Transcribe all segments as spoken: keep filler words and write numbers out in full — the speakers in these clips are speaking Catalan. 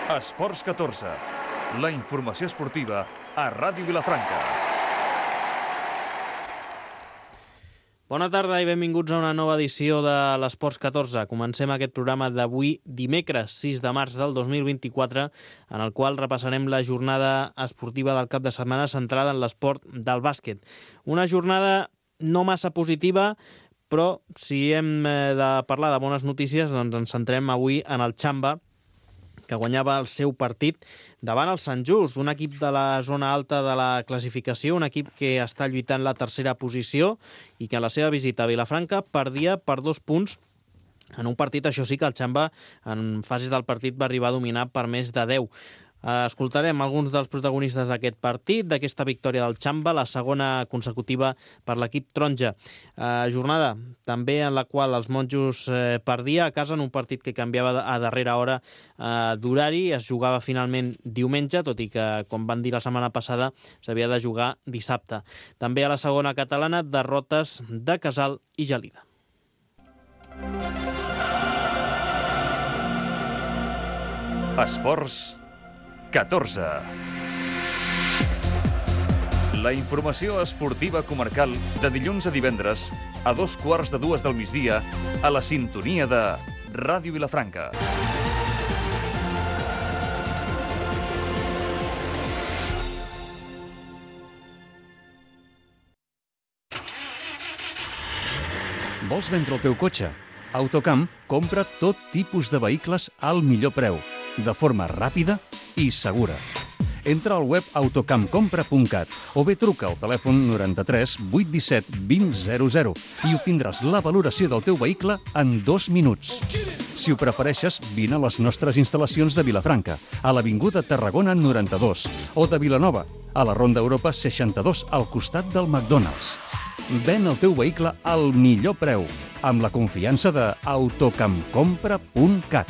Esports catorze, la informació esportiva a Ràdio Vilafranca. Bona tarda i benvinguts a una nova edició de l'Esports catorze. Comencem aquest programa d'avui, dimecres sis de març del dos mil vint-i-quatre, en el qual repassarem la jornada esportiva del cap de setmana centrada en l'esport del bàsquet. Una jornada no massa positiva, però si hem de parlar de bones notícies, doncs ens centrem avui en el Xamba, que guanyava el seu partit davant el Sant Just, un equip de la zona alta de la classificació, un equip que està lluitant la tercera posició i que a la seva visita a Vilafranca perdia per dos punts en un partit. Això sí que el Xamba en fases del partit va arribar a dominar per més de deu. Escoltarem alguns dels protagonistes d'aquest partit, d'aquesta victòria del Xamba, la segona consecutiva per l'equip taronja. Eh, jornada també en la qual els monjos eh, perdia a casa en un partit que canviava a darrera hora eh, d'horari. Es jugava finalment diumenge, tot i que, com van dir la setmana passada, s'havia de jugar dissabte. També a la segona catalana, derrotes de Casal i Gelida. Esports catorze. La informació esportiva comarcal de dilluns a divendres a dos quarts de dues del migdia a la sintonia de Ràdio Vilafranca. Vols vendre el teu cotxe? Autocamp compra tot tipus de vehicles al millor preu, de forma ràpida i segura. Entra al web autocampcompra punt cat o bé truca al telèfon noranta-tres vuit disset vint zero zero i obtindràs la valoració del teu vehicle en dos minuts. Si ho prefereixes, vine a les nostres instal·lacions de Vilafranca, a l'Avinguda Tarragona noranta-dos, o de Vilanova, a la Ronda Europa seixanta-dos, al costat del McDonald's. Ven el teu vehicle al millor preu, amb la confiança de autocampcompra punt cat.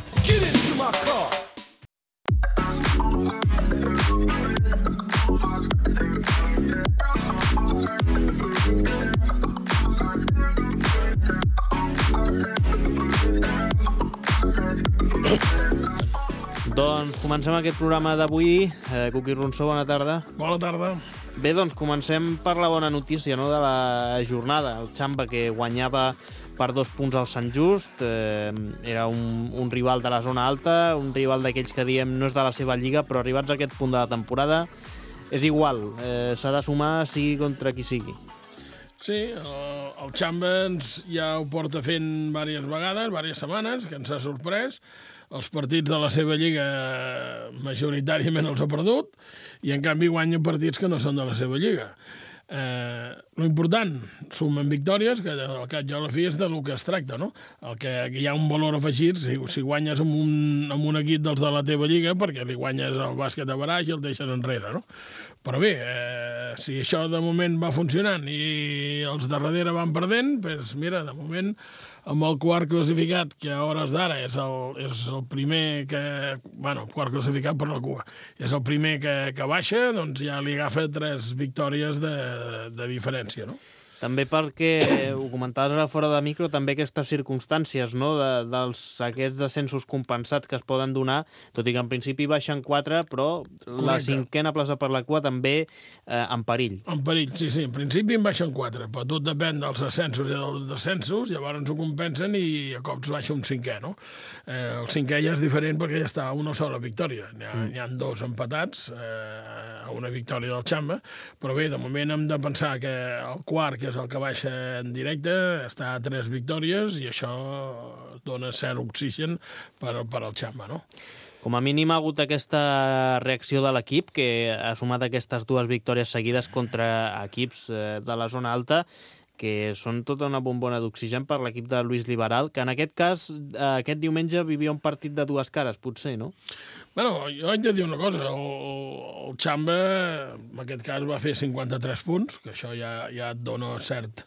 Doncs comencem aquest programa d'avui. Eh, Cuqui Ronsó, bona tarda. Bona tarda. Bé, doncs comencem per la bona notícia, no?, de la jornada. El Xamba, que guanyava per dos punts al Sant Just, eh, era un, un rival de la zona alta, un rival d'aquells que diem no és de la seva lliga, però arribats a aquest punt de la temporada és igual, eh, s'ha de sumar sigui contra qui sigui. Sí, el, el Xamba ens ja ho porta fent diverses vegades, diverses setmanes, que ens ha sorprès. Els partits de la seva lliga majoritàriament els ha perdut i en canvi guanya partits que no són de la seva lliga. Eh, lo important, sumen victòries, que al cap i a la fi és del que es tracta, no? El que, que hi ha un valor afegit, si, si guanyes amb un, amb un equip dels de la teva lliga, perquè li guanyes el bàsquet a baraix i el deixes enrere, no? Però bé, eh, si això de moment va funcionant i els de darrere van perdent, doncs mira, de moment amb el quart classificat, que a hores d'ara és, el, és el primer que... Bueno, el quart classificat per la cua. És el primer que, que baixa, doncs ja li agafa tres victòries de, de diferència, no? També perquè, ho comentaves ara fora de micro, també aquestes circumstàncies, no?, de, dels aquests descensos compensats que es poden donar, tot i que en principi baixen quatre, però Correcte. La cinquena plaça per la cua també eh, en perill. En perill, sí, sí. En principi en baixen quatre, però tot depèn dels ascensos i dels descensos, llavors ho compensen i a cops baixa un cinquè, no? Eh, el cinquè ja és diferent perquè ja està a una sola victòria. N'hi ha, mm. n'hi ha dos empatats eh, a una victòria del Xamba, però bé, de moment hem de pensar que el quart, que és el que baixa en directe, està a tres victòries i això dona cert oxigen per, per al Xamba, no? Com a mínim ha hagut aquesta reacció de l'equip, que ha sumat aquestes dues victòries seguides contra equips de la zona alta, que són tota una bombona d'oxigen per l'equip de Lluís Liberal, que en aquest cas, aquest diumenge, vivia un partit de dues cares, potser, no? Bueno, jo haig de dir una cosa, el, el Xamba, en aquest cas, va fer cinquanta-tres punts, que això ja, ja et dona cert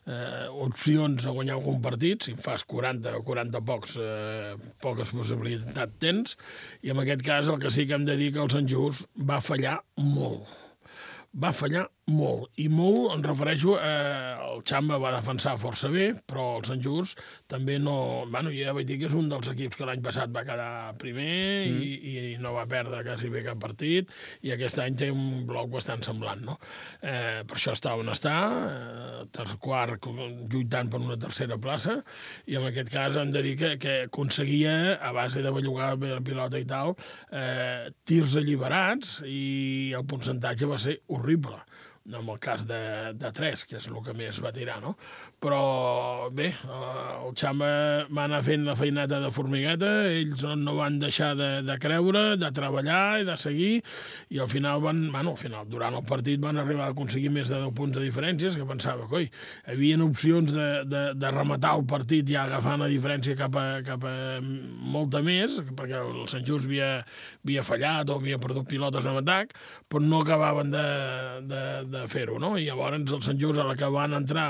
eh, opcions a guanyar algun partit. Si en fas quaranta o quaranta pocs, eh, poques possibilitats tens, i en aquest cas el que sí que hem de dir que el Sant Just va fallar molt. Va fallar Molt, i molt, em refereixo, eh, el Xamba va defensar força bé, però el Sant Just també no... Bueno, ja vaig dir que és un dels equips que l'any passat va quedar primer mm. i, i no va perdre quasi bé cap partit, i aquest any té un bloc bastant semblant, no? Eh, per això està on està, eh, tercer quart, lluitant per una tercera plaça, i en aquest cas hem de dir que, que aconseguia, a base de bellugar bé la pilota i tal, eh, tirs alliberats, i el percentatge va ser horrible. En el cas de, de tres, que és el que més va tirar, no? Però bé, el Xamba va anar fent la feineta de formigueta, ells no van deixar de, de creure, de treballar i de seguir, i al final van, bueno, al final, durant el partit van arribar a aconseguir més de deu punts de diferències, que pensava que, oi, hi havia opcions de, de, de rematar el partit ja agafant la diferència cap a, cap a molta més, perquè el Sant Just havia, havia fallat o havia perdut pilotes en atac, però no acabaven de, de, de fer-ho, no? I llavors el Sant Just, a la que van entrar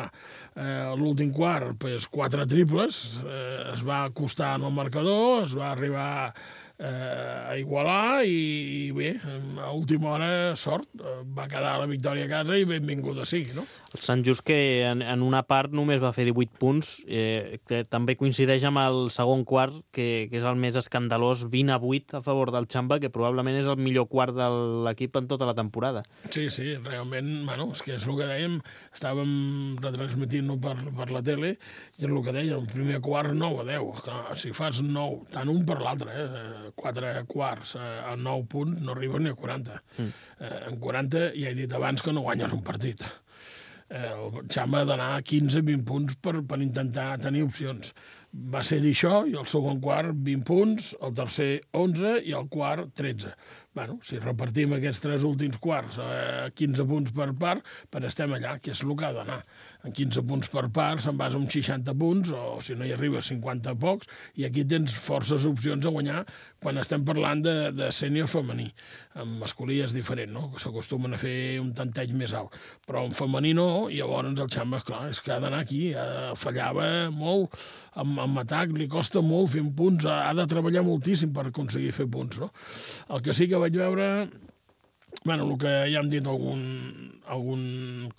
eh, a l'últim quart, pues, quatre triples, eh, es va acostar en el marcador, es va arribar eh, a igualar i, i bé, a última hora, sort, va quedar la victòria a casa i benvinguda sigui, no? El Sant Just, que en, en una part només va fer divuit punts, eh, que també coincideix amb el segon quart, que, que és el més escandalós, vint a vuit a favor del Xamba, que probablement és el millor quart de l'equip en tota la temporada. Sí, sí, realment, bueno, és que és el que dèiem, estàvem retransmitint-ho per, per la tele, i és el que dèiem, el primer quart nou a deu, clar, si fas nou, tant un per l'altre, eh, quatre quarts eh, a nou punts, no arribes ni a quaranta. Mm. Eh, en quaranta ja he dit abans que no guanyes un partit. El Xamba ha d'anar a quinze a vint punts per, per intentar tenir opcions. Va ser dir això, i el segon quart vint punts, el tercer onze i el quart tretze. Bueno, si repartim aquests tres últims quarts a quinze punts per part, per estem allà, que és el que ha d'anar. En quinze punts per part se'n vas amb seixanta punts, o si no hi arribes cinquanta pocs, i aquí tens forces opcions a guanyar quan estem parlant de, de sènior femení. En masculí és diferent, no? S'acostumen a fer un tanteig més alt. Però en femení no, i llavors el Xamba, esclar, és que ha d'anar aquí, fallava molt, amb, amb atac li costa molt fer punts, ha de treballar moltíssim per aconseguir fer punts, no? El que sí que vaig veure, bueno, el que ja hem dit algun, algun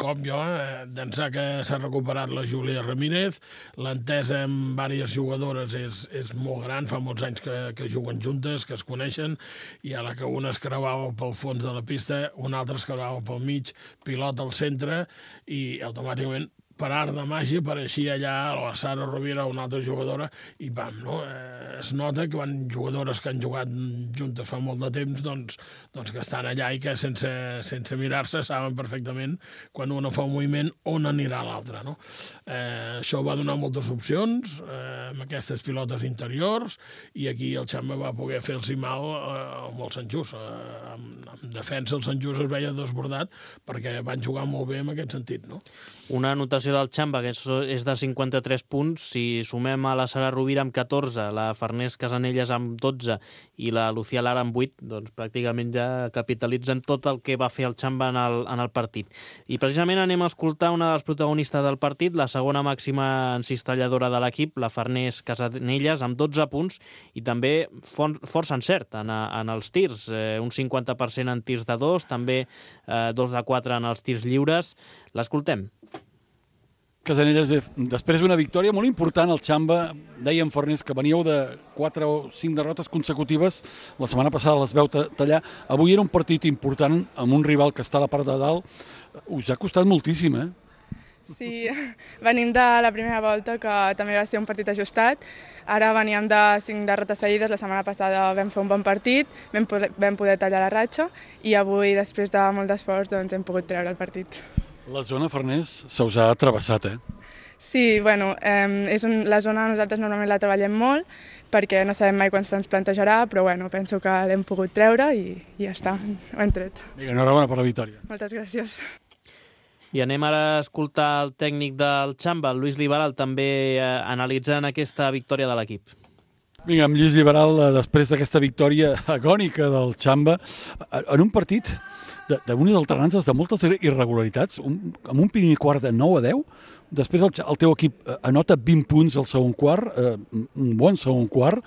cop jo, eh, d'ençà que s'ha recuperat la Júlia Ramírez, l'entesa amb diverses jugadores és, és molt gran, fa molts anys que, que juguen juntes, que es coneixen, i a la que una es creuava pel fons de la pista, una altra es creuava pel mig, pilota al centre, i automàticament per art de màgia apareixia allà la Sara Rovira, una altra jugadora, i pam, no? Eh, es nota que van jugadores que han jugat juntes fa molt de temps, doncs, doncs que estan allà i que sense, sense mirar-se saben perfectament quan una fa un moviment on anirà l'altra, no? Eh, això va donar moltes opcions eh, amb aquestes pilotes interiors, i aquí el Xamba va poder fer-los mal eh, amb el Sant Just. Eh, amb, amb defensa el Sant Just es veia desbordat perquè van jugar molt bé en aquest sentit, no? Una anotació del Xamba, que és de cinquanta-tres punts, si sumem a la Sara Rovira amb catorze, la Farners Casanelles amb dotze i la Lucía Lara amb vuit, doncs pràcticament ja capitalitzen tot el que va fer el Xamba en el, en el partit. I precisament anem a escoltar una dels protagonistes del partit, la segona màxima encistelladora de l'equip, la Farners Casanelles, amb dotze punts, i també for, força encert en, en els tirs, eh, un cinquanta per cent en tirs de dos, també eh, dos de quatre en els tirs lliures. L'escoltem. Casanelles, després d'una victòria molt important al Xamba, dèiem, Farners, que veníeu de quatre o cinc derrotes consecutives, la setmana passada les veu tallar, avui era un partit important amb un rival que està a la part de dalt, us ha costat moltíssim, eh? Sí, venim de la primera volta, que també va ser un partit ajustat, ara veníem de cinc derrotes seguides, la setmana passada vam fer un bon partit, vam poder, vam poder tallar la ratxa, i avui, després de molt d'esforç, doncs hem pogut treure el partit. La zona, Farners, se us ha travessat, eh? Sí, bueno, eh, és un, la zona nosaltres normalment la treballem molt perquè no sabem mai quan se'ns plantejarà, però bueno, penso que l'hem pogut treure i, i ja està, ho hem tret. Vinga, enhorabona per la victòria. Moltes gràcies. I anem ara a escoltar el tècnic del Xamba, el Lluís Liberal, també eh, analitzant aquesta victòria de l'equip. Vinga, amb Lluís Liberal, després d'aquesta victòria agònica del Xamba, en un partit d'unes alternances de moltes irregularitats, un, amb un primer quart de nou a deu, després el, el teu equip anota vint punts al segon quart, eh, un bon segon quart,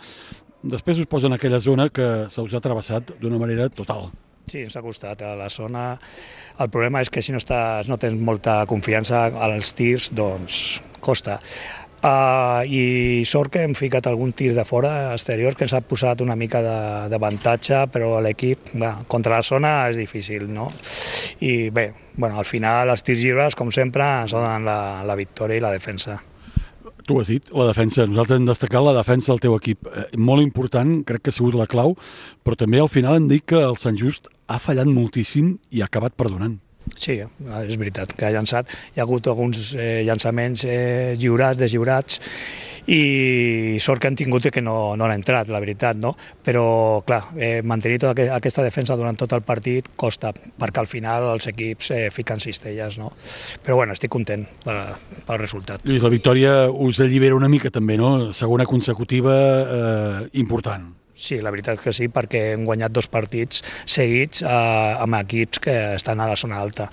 després us posa en aquella zona que se us ha travessat d'una manera total. Sí, ens ha costat a la zona. El problema és que si no, estàs, no tens molta confiança als tirs, doncs costa. Uh, I sort que hem ficat algun tir de fora exterior que ens ha posat una mica d'avantatge, però l'equip contra la zona és difícil, no? I bé, bueno, al final els tirs lliures, com sempre, ens donen la, la victòria i la defensa. Tu has dit, la defensa. Nosaltres hem destacat la defensa del teu equip. Eh, molt important, crec que ha sigut la clau, però també al final hem dit que el Sant Just ha fallat moltíssim i ha acabat perdonant. Sí, és veritat que ha llançat. Hi ha hagut alguns eh, llançaments eh, lliurats, deslliurats, i sort que han tingut que no, no han entrat, la veritat, no? Però, clar, eh, mantenir tota aquesta defensa durant tot el partit costa, perquè al final els equips eh, fiquen cistelles, no? Però, bueno, estic content pel, pel resultat. Lluís, la victòria us allibera una mica també, no? Segona consecutiva eh, important. Sí, la veritat que sí, perquè hem guanyat dos partits seguits eh, amb equips que estan a la zona alta.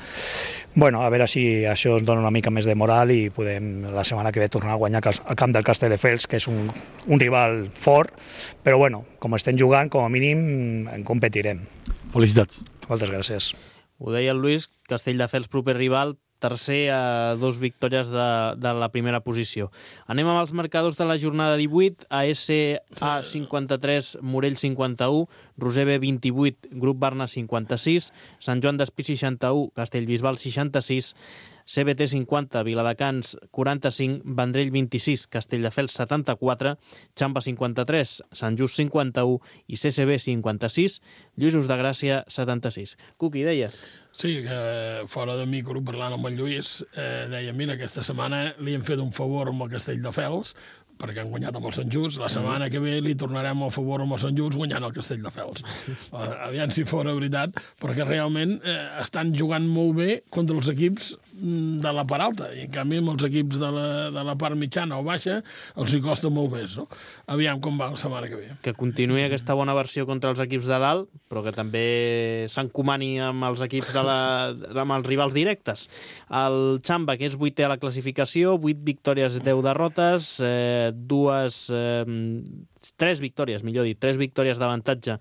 Bueno, a veure si això ens dona una mica més de moral i podem la setmana que ve tornar a guanyar al camp del Castelldefels, que és un, un rival fort, però bueno, com estem jugant, com a mínim en competirem. Felicitats. Moltes gràcies. Ho deia el Lluís, Castelldefels proper rival, tercer a dos victòries de, de la primera posició. Anem amb els marcadors de la jornada divuit, A S A cinquanta-tres, Morell cinquanta-u, Roser B vint-i-vuit, Grup Barna cinquanta-sis, Sant Joan d'Espí seixanta-u, Castellbisbal seixanta-sis, C B T cinquanta, Viladecans quaranta-cinc, Vendrell vint-i-sis, Castelldefels setanta-quatre, Xamba cinquanta-tres, Sant Just cinquanta-u i C C B cinquanta-sis, Lluïsos de Gràcia setanta-sis. Cuqui, deies? Sí, que fora de micro, parlant amb el Lluís, eh, deia, mira, aquesta setmana li hem fet un favor amb el Castelldefels, perquè han guanyat amb el Sant Just. La setmana que ve li tornarem el favor amb el Sant Just guanyant el Castelldefels. Uh, aviam si fora veritat, perquè realment eh, estan jugant molt bé contra els equips de la part alta, i en canvi amb els equips de la, de la part mitjana o baixa els hi costa molt més, no? Aviam com va la setmana que ve. Que continuï aquesta bona versió contra els equips de dalt, però que també s'encomani amb els equips de la, amb els rivals directes. El Xamba, que és vuitè a la classificació, vuit victòries, deu derrotes, eh, dues... Eh, tres victòries, millor dit, tres victòries d'avantatge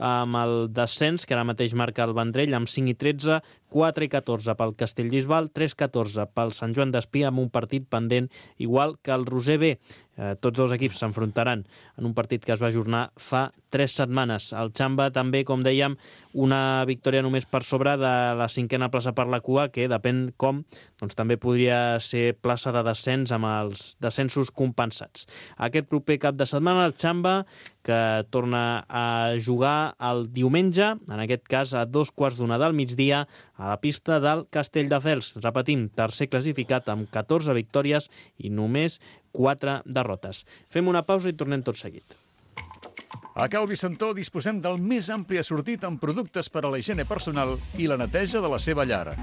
amb el descens, que ara mateix marca el Vendrell, amb cinc i tretze, quatre i catorze pel Castellbisbal, tres i catorze pel Sant Joan d'Espí, amb un partit pendent igual que el Roser B. Eh, tots dos equips s'enfrontaran en un partit que es va ajornar fa tres setmanes. El Xamba també, com dèiem, una victòria només per sobre de la cinquena plaça per la cua, que depèn com, doncs també podria ser plaça de descens amb els descensos compensats. Aquest proper cap de setmana el Xamba, que torna a jugar el diumenge, en aquest cas a dos quarts d'una del migdia, a la pista del Castelldefels. Repetim, tercer classificat amb catorze victòries i només quatre derrotes. Fem una pausa i tornem tot seguit. A Cal Vicentó disposem del més ampli assortit en productes per a la higiene personal i la neteja de la seva llar.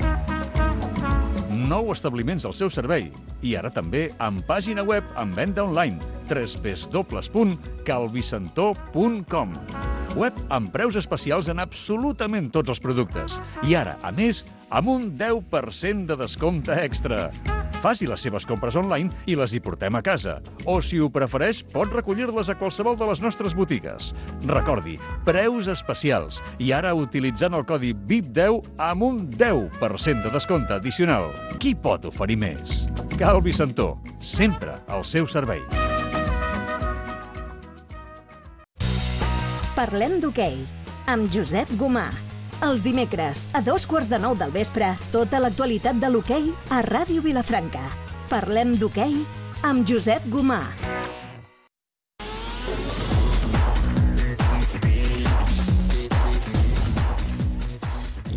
Nou establiments al seu servei i ara també amb pàgina web amb venda online w w w punt calvicentó punt com. Web amb preus especials en absolutament tots els productes i ara, a més, amb un deu per cent de descompte extra. Faci les seves compres online i les hi portem a casa. O, si ho prefereix, pot recollir-les a qualsevol de les nostres botigues. Recordi, preus especials. I ara utilitzant el codi V I P deu amb un deu per cent de descompte addicional. Qui pot oferir més? Cal Vicentó, sempre al seu servei. Parlem d'hoquei, amb Josep Gomà. Els dimecres, a dos quarts de nou del vespre, tota l'actualitat de l'hoquei a Ràdio Vilafranca. Parlem d'hoquei amb Josep Gomà.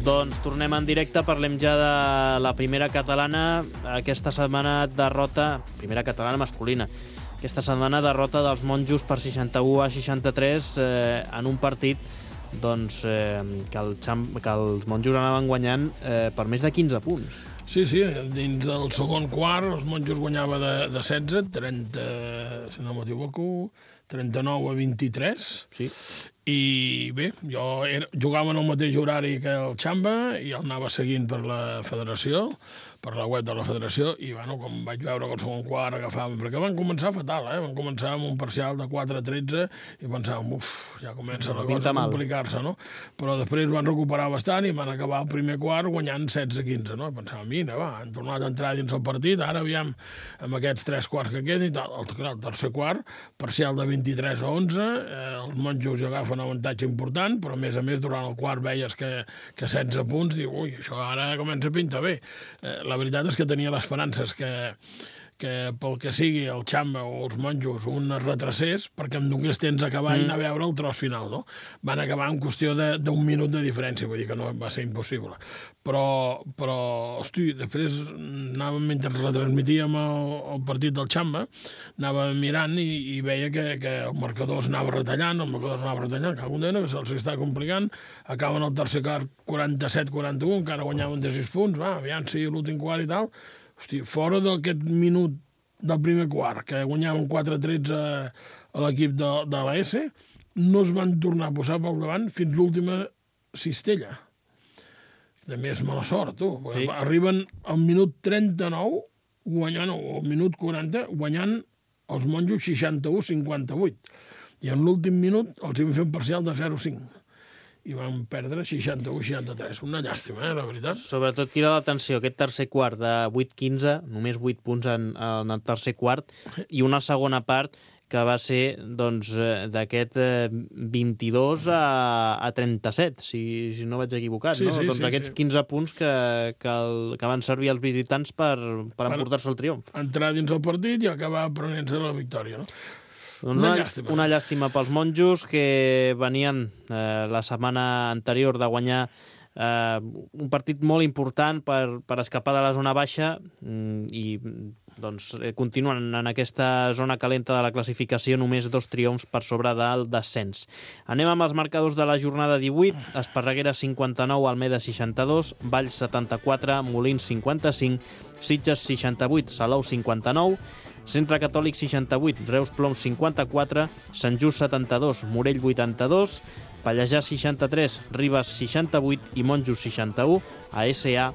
Doncs tornem en directe, parlem ja de la primera catalana. Aquesta setmana derrota, primera catalana masculina, aquesta setmana derrota dels monjos per seixanta-u a seixanta-tres eh, en un partit doncs, eh, que, el Xam, que els monjos anaven guanyant eh, per més de quinze punts. Sí, sí, dins del segon quart els monjos guanyava de, de setze, trenta, si no m'equivoco, trenta-nou a vint-i-tres. Sí. I bé, jo era, jugava en el mateix horari que el Xamba i el anava seguint per la federació, per la web de la federació, i bueno, com vaig veure que el segon quart agafaven, perquè van començar fatal, eh? Van començar amb un parcial de quatre a tretze i pensàvem, uf, ja comença la cosa a complicar-se, no? Però després van recuperar bastant i van acabar el primer quart guanyant setze a quinze, no? I pensàvem, mira, va, han tornat a entrar dins el partit, ara aviam amb aquests tres quarts que queden i tal. El, el tercer quart, parcial de vint-i-tres a onze, eh, els monjos agafen un avantatge important, però a més a més durant el quart veies que, que setze punts, diu, ui, això ara comença a pintar bé. Eh, la veritat és que tenia l'esperances que, que pel que sigui el Xamba o els monjos un es retracés perquè em donés temps a acabar mm. i anar a veure el tros final, no? Van acabar en qüestió d'un minut de diferència, vull dir que no va ser impossible. Però, però hosti, després anàvem, mentre retransmitíem el, el partit del Xamba, anàvem mirant i, i veia que, que el marcador s'anava retallant, el marcador s'anava retallant, que algun dia que se'ls està complicant, acaben el tercer quart quaranta-set quaranta-u, encara guanyaven de sis punts, va, aviam si l'últim quart i tal. Hosti, fora d'aquest minut del primer quart, que guanyaven quatre a tretze a l'equip de, de l'A S, no es van tornar a posar pel davant fins l'última cistella. També és mala sort, tu. Sí. Arriben al minut trenta-nou, guanyant, o al minut quaranta, guanyant els monjos seixanta-u a cinquanta-vuit. I en l'últim minut els hi van fer un parcial de zero a cinc. I van perdre seixanta-u a seixanta-tres. Una llàstima, eh, la veritat. Sobretot crida l'atenció aquest tercer quart de vuit a quinze, només vuit punts en, en el tercer quart, i una segona part que va ser doncs, d'aquest eh, vint-i-dos a trenta-set, si, si no vaig equivocat. Sí, no? sí, doncs sí, aquests sí. quinze punts que, que, el, que van servir als visitants per, per emportar-se el triomf. Entrar dins el partit i acabar prenent-se la victòria, no? Doncs una, una, llàstima. una llàstima pels monjos que venien eh, la setmana anterior de guanyar eh, un partit molt important per, per escapar de la zona baixa i doncs, continuen en aquesta zona calenta de la classificació, només dos triomfs per sobre del descens. Anem amb els marcadors de la jornada divuit. Esparreguera cinquanta-nou, Almeda seixanta-dos, Valls setanta-quatre, Molins cinquanta-cinc, Sitges seixanta-vuit, Salou cinquanta-nou, Centre Catòlic seixanta-vuit, Reus Ploms cinquanta-quatre, Sant Just setanta-dos, Morell vuitanta-dos, Pallejà seixanta-tres, Ribes seixanta-vuit i Monjos seixanta-u, A S A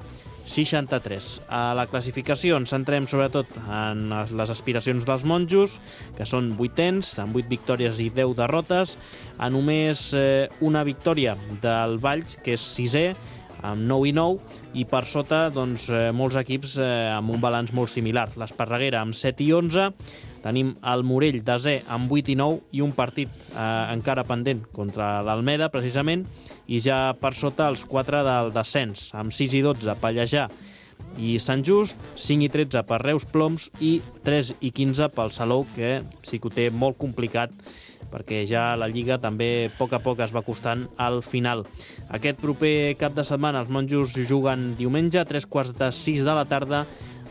seixanta-tres. A la classificació ens centrem sobretot en les aspiracions dels monjos, que són vuitens, amb vuit victòries i deu derrotes, a només eh, una victòria del Valls, que és sisè, amb nou i nou, i per sota doncs, eh, molts equips eh, amb un balanç molt similar. L'Esparreguera amb set i onze, tenim el Morell desè amb vuit i nou i un partit eh, encara pendent contra l'Almeda, precisament, i ja per sota els quatre del descens, amb sis i dotze Pallejà i Sant Just, cinc i tretze per Reus Ploms i tres i quinze pel Salou, que sí que ho té molt complicat perquè ja la Lliga també a poc a poc es va costant al final. Aquest proper cap de setmana els monjos juguen diumenge a tres quarts de sis de la tarda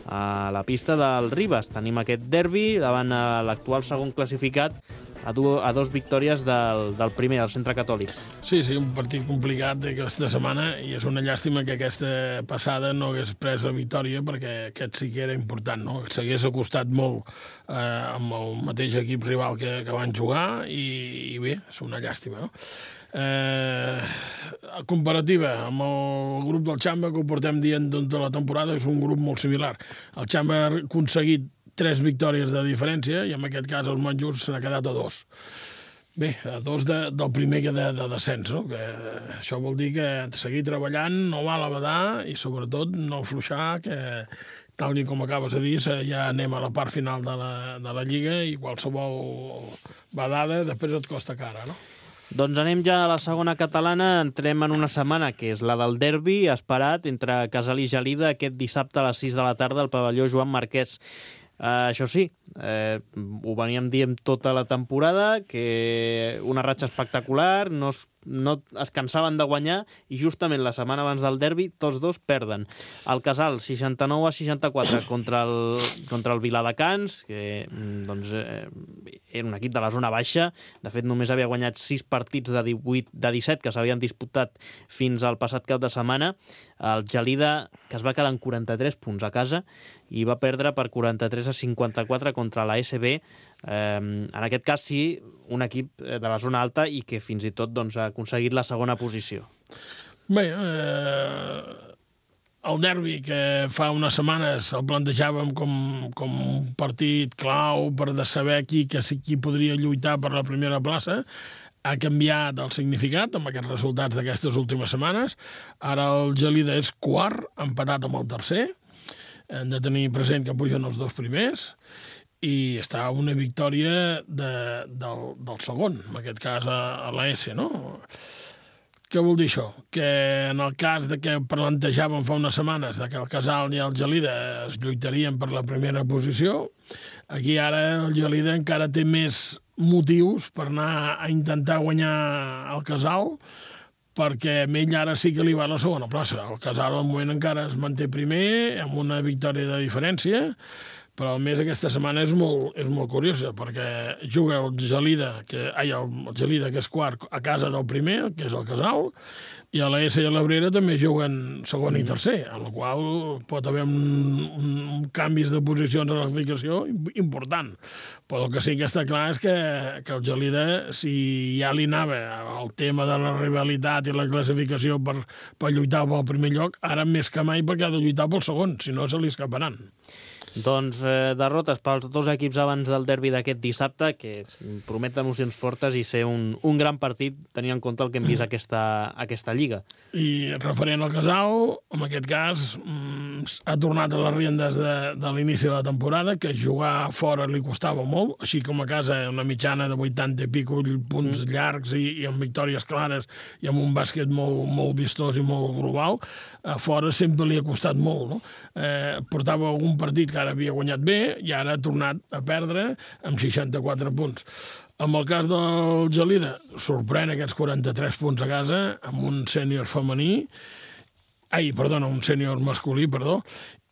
a la pista del Ribes. Tenim aquest derbi davant l'actual segon classificat a, du a dos victòries del, del primer, del Centre Catòlic. Sí, sí, un partit complicat aquesta setmana i és una llàstima que aquesta passada no hagués pres la victòria perquè aquest sí que era important, no? S'hagués acostat molt eh, amb el mateix equip rival que, que van jugar i, i bé, és una llàstima, no? Eh, comparativa amb el grup del Xamba, que ho portem dient tota la temporada, és un grup molt similar. El Xamba ha aconseguit tres victòries de diferència i en aquest cas els monjos se n'ha quedat a dos. Bé, a dos de, del primer que de, de descens, no? Que això vol dir que seguir treballant, no val a badar i sobretot no afluixar, que tal com acabes de dir, ja anem a la part final de la, de la Lliga i qualsevol badada després et costa cara, no? Doncs anem ja a la segona catalana, entrem en una setmana que és la del derbi esperat entre Casal i Gelida aquest dissabte a les sis de la tarda al pavelló Joan Marquès. Uh, això sí, eh, ho veníem dient tota la temporada, que una ratxa espectacular, no es, no es cansaven de guanyar i justament la setmana abans del derbi tots dos perden. El Casal seixanta-nou a seixanta-quatre contra el, contra el Viladecans, que doncs, eh, era un equip de la zona baixa, de fet només havia guanyat sis partits de divuit de disset que s'havien disputat fins al passat cap de setmana. El Gelida, que es va quedar en quaranta-tres punts a casa i va perdre per quaranta-tres a cinquanta-quatre contra la S B, eh, en aquest cas sí, un equip de la zona alta i que fins i tot doncs, ha aconseguit la segona posició. Bé, eh, el derbi, que fa unes setmanes el plantejàvem com, com un partit clau per de saber qui, que, qui podria lluitar per la primera plaça, ha canviat el significat amb aquests resultats d'aquestes últimes setmanes. Ara el Gelida és quart, empatat amb el tercer. Hem de tenir present que pugen els dos primers i està una victòria de, del, del segon, en aquest cas a, a l'A S, no? Què vol dir això? Que en el cas de que plantejàvem fa unes setmanes de que el Casal i el Gelida es lluitarien per la primera posició, aquí ara el Gelida encara té més motius per anar a intentar guanyar el Casal, perquè a ell ara sí que li va a la segona plaça. El Casal al moment encara es manté primer, amb una victòria de diferència, però a més aquesta setmana és molt, és molt curiosa, perquè juga el Gelida, que, ai, el Gelida, que és quart, a casa del primer, que és el Casal, i a l'A S i a l'Abrera també juguen segon i tercer, en la qual pot haver un, un, un canvis de posicions en la classificació important. Però el que sí que està clar és que, que el Gelida, si ja li anava el tema de la rivalitat i la classificació per, per lluitar pel primer lloc, ara més que mai perquè ha de lluitar pel segon, si no se li escaparan. Doncs eh, derrotes pels dos equips abans del derbi d'aquest dissabte, que promet emocions fortes i ser un, un gran partit, tenint en compte el que hem vist aquesta, aquesta lliga. I referent al Casal, en aquest cas, ha tornat a les riendes de, de l'inici de la temporada, que jugar fora li costava molt, així com a casa una mitjana de vuitanta i pico punts mm. llargs i, i amb victòries clares i amb un bàsquet molt, molt vistós i molt global, a fora sempre li ha costat molt, no? Eh, portava algun partit que ara havia guanyat bé i ara ha tornat a perdre amb seixanta-quatre punts. En el cas del Gelida, sorprèn aquests quaranta-tres punts a casa amb un sènior femení, ai, perdona, un sènior masculí, perdó,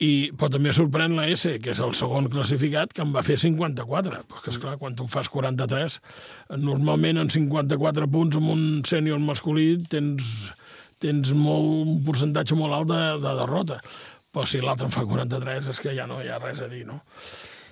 i, però també sorprèn l'A S, que és el segon classificat, que en va fer cinquanta-quatre. Perquè, esclar, quan tu fas quaranta-tres, normalment en cinquanta-quatre punts amb un sènior masculí tens, tens molt, un percentatge molt alt de, de derrota. Però si l'altre en fa quaranta-tres és que ja no hi ha res a dir, no?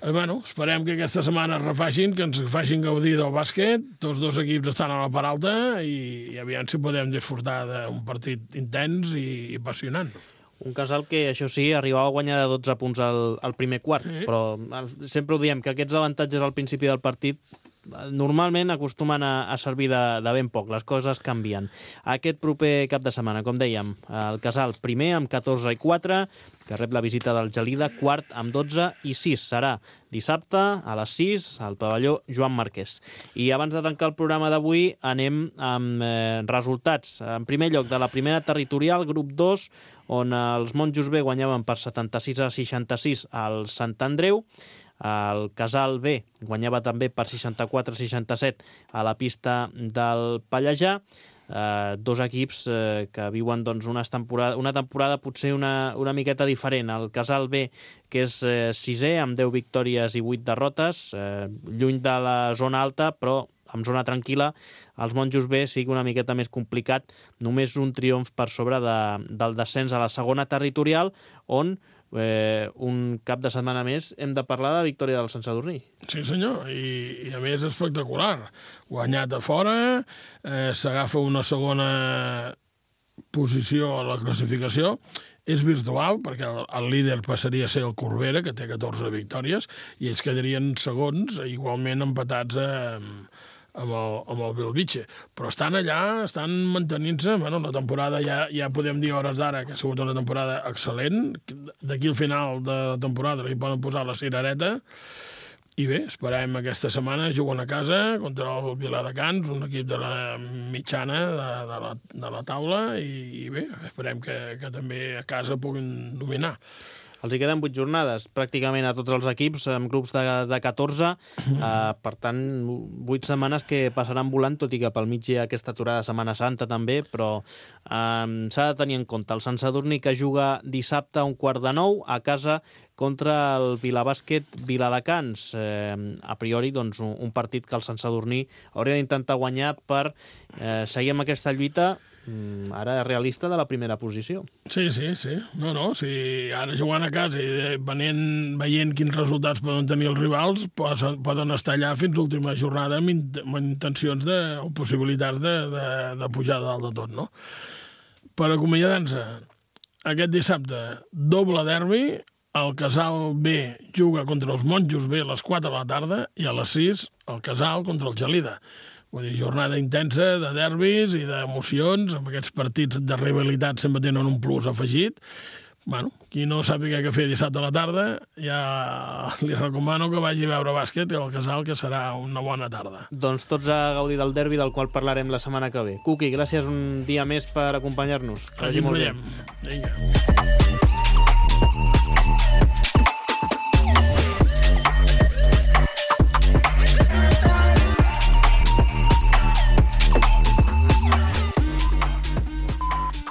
Eh, bueno, esperem que aquesta setmana es refacin, que ens facin gaudir del bàsquet. Tots dos equips estan a la part alta i, i aviam si podem disfrutar d'un partit intens i, i apassionant. Un Casal que, això sí, arribava a guanyar de dotze punts al, al primer quart, sí. Però sempre ho diem, que aquests avantatges al principi del partit normalment acostumen a, a servir de, de ben poc, les coses canvien. Aquest proper cap de setmana, com dèiem, el Casal primer amb catorze i quatre, que rep la visita del Gelida, quart amb dotze i sis. Serà dissabte a les sis al pavelló Joan Marquès. I abans de tancar el programa d'avui anem amb eh, resultats. En primer lloc, de la primera territorial, grup dos, on els Monjos B guanyaven per setanta-sis a seixanta-sis al Sant Andreu. El Casal B guanyava també per seixanta-quatre a seixanta-set a la pista del Pallejà. Eh, dos equips eh, que viuen doncs, unes temporada, una temporada potser una, una miqueta diferent. El Casal B, que és eh, sisè, amb deu victòries i vuit derrotes, eh, lluny de la zona alta, però amb zona tranquil·la. Els Monjos B sí que una miqueta més complicat, només un triomf per sobre de, del descens a la segona territorial, on Eh, un cap de setmana més hem de parlar de la victòria del Sant Sadurní. Sí senyor, i, i a més espectacular, guanyat a fora, eh, s'agafa una segona posició a la classificació, és virtual perquè el, el líder passaria a ser el Corbera, que té catorze victòries, i ells quedarien segons, igualment empatats a, amb el, amb el Bellvitge, però estan allà, estan mantenint-se. Bueno, la temporada ja, ja podem dir a hores d'ara que ha sigut una temporada excel·lent. D'aquí al final de la temporada li poden posar la cirereta i bé, esperem aquesta setmana. Juguen a casa contra el Viladecans, un equip de la mitjana de, de, la, de la taula, i, i bé, esperem que, que també a casa puguin dominar. Els hi queden vuit jornades, pràcticament a tots els equips, amb grups de, de catorze, uh, per tant, vuit setmanes que passaran volant, tot i que pel mig hi ha aquesta aturada de Setmana Santa també, però um, s'ha de tenir en compte. El Sant Sadurní, que juga dissabte a un quart de nou a casa contra el Vilabàsquet Viladecans. Eh, a priori, doncs, un, un partit que el Sant Sadurní hauria d'intentar guanyar per eh, seguir amb aquesta lluita, ara realista, de la primera posició. Sí, sí, sí. No, no, si ara jugant a casa i venent, veient quins resultats poden tenir els rivals, poden estar allà fins l'última jornada amb, int amb intencions de, o possibilitats de, de, de pujar dalt de tot, no? Per acomiadar-nos, aquest dissabte, doble derbi, el Casal B juga contra els Monjos B a les quatre de la tarda i a les sis el Casal contra el Gelida. Vull dir, jornada intensa de derbis i d'emocions, amb aquests partits de rivalitat sempre tenen un plus afegit. Bueno, qui no sàpiga què fer dissabte a la tarda, ja li recomano que vagi a veure bàsquet al Casal, que serà una bona tarda. Doncs tots a gaudir del derbi, del qual parlarem la setmana que ve. Cuqui, gràcies un dia més per acompanyar-nos. Així ens veiem. Vinga.